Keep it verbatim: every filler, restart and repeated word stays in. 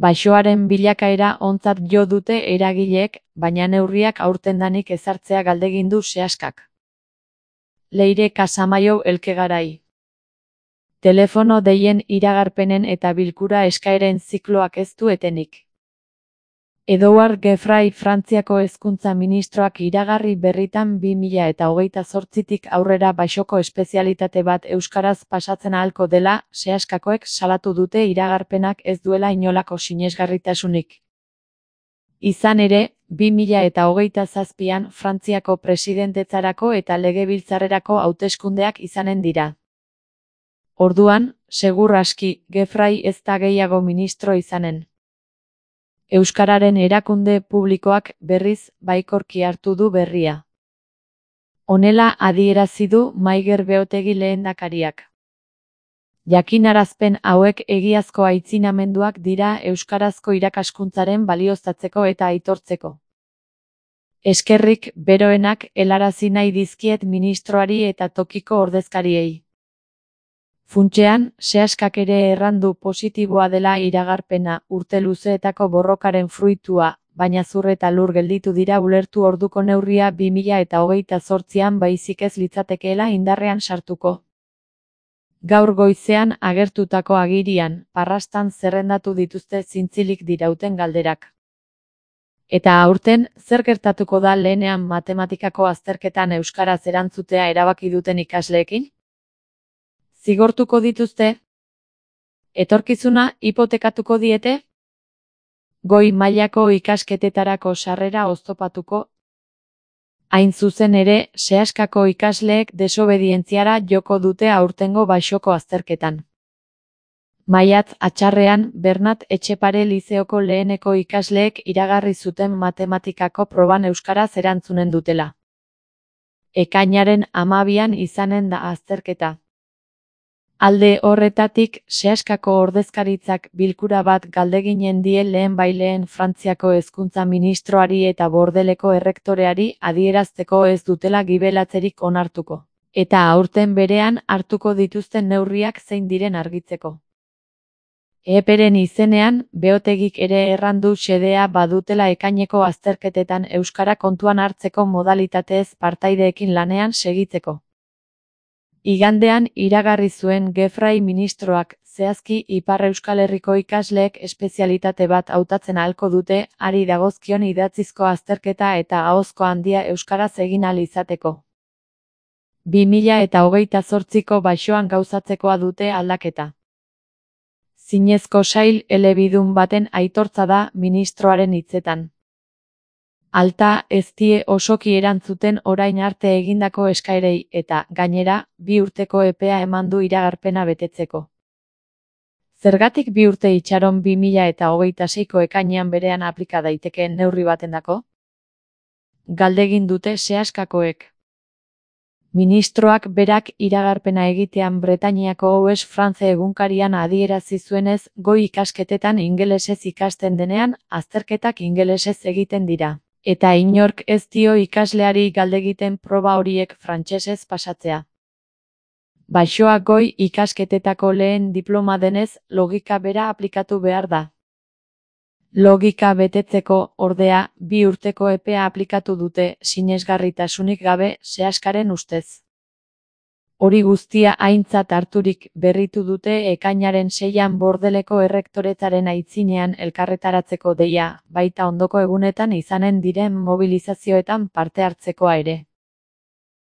Baxoaren bilakaera ontzat jo dute eragileek, baina neurriak aurtendanik ezartzea galdegindu sehaskak. Leire Casamaiu Elkegarai. Telefono deien iragarpenen eta bilkura eskaeren zikloak ez du etenik. Edouard Geoffroy Frantziako hezkuntza ministroak iragarri berritan bi mila eta hogeita zortzitik aurrera baxoko espezialitate bat euskaraz pasatzen ahalko dela, sehaskakoek salatu dute iragarpenak ez duela inolako sinesgarritasunik. Izan ere, bi mila eta hogeita zazpian Frantziako presidentetzarako eta legebiltzarrerako hauteskundeak izanen dira. Orduan, segur aski, Geoffroy ez da gehiago ministro izanen. Euskararen erakunde publikoak berriz baikorki hartu du berria. Honela adierazi du Maiger Beotegi lehendakariak. Jakinarazpen hauek egiazko aitzinamenduak dira euskarazko irakaskuntzaren balioztatzeko eta aitortzeko. Eskerrik beroenak helarazi nahi dizkiet ministroari eta tokiko ordezkariei. Funtsean, sehaskak ere errandu positiboa dela iragarpena urte luzeetako borrokaren fruitua, baina zur eta lur gelditu dira ulertu orduko neurria bi mila eta hogeita zortzian baizik ez litzatekeela indarrean sartuko. Gaur goizean agertutako agirian, parrastan zerrendatu dituzte zintzilik dirauten galderak. Eta aurten, zer gertatuko da lehenean matematikako azterketan euskaraz erantzutea erabaki duten ikasleekin? Zigortuko dituzte? Etorkizuna hipotekatuko diete? Goi mailako ikasketetarako sarrera oztopatuko? Hain zuzen ere, sehaskako ikasleek desobedientziara joko dute aurtengo baxoko azterketan. Maiatz atxarrean, Bernat Etxepare lizeoko leheneko ikasleek iragarri zuten matematikako proban euskaraz erantzunen dutela. Ekainaren hamabian izanen da azterketa. Alde horretatik, sehaskako ordezkaritzak bilkura bat galdeginen die lehen baileen Frantziako hezkuntza ministroari eta Bordeleko errektoreari adierazteko ez dutela gibelatzerik onartuko, eta aurten berean hartuko dituzten neurriak zein diren argitzeko. Eperen izenean, Beotegik ere errandu xedea badutela ekaineko azterketetan euskara kontuan hartzeko modalitatez partaideekin lanean segitzeko. Igandean iragarri zuen Geoffroy ministroak, zehazki Ipar Euskal Herriko ikasleek espezialitate bat hautatzen ahalko dute, hari dagozkion idatzizko azterketa eta ahozko handia euskaraz egin ahal izateko. bi mila eta hogeita zortziko baxoan gauzatzekoa dute aldaketa. Zinezko sail elebidun baten aitortza da ministroaren hitzetan. Alta ez die osoki erantzuten orain arte egindako eskaerei eta, gainera, bi urteko epea eman du iragarpena betetzeko. Zergatik bi urte itxaron bi mila eta hogeita seiko ekainean berean aplika daitekeen neurri batendako? Galdegin dute sehaskakoek. Ministroak berak iragarpena egitean Bretainiako Ouest France egunkarian adierazi zuenez, goi ikasketetan ingelesez ikasten denean, azterketak ingelesez egiten dira. Eta inork ez dio ikasleari galdegiten proba horiek frantsesez pasatzea. Baxoa goi ikasketetako lehen diploma denez, logika bera aplikatu behar da. Logika betetzeko, ordea, bi urteko epea aplikatu dute, sinesgarritasunik gabe, sehaskaren ustez. Hori guztia aintzat harturik berritu dute ekainaren seian Bordeleko errektoretzaren aitzinean elkarretaratzeko deia, baita ondoko egunetan izanen diren mobilizazioetan parte hartzekoa ere.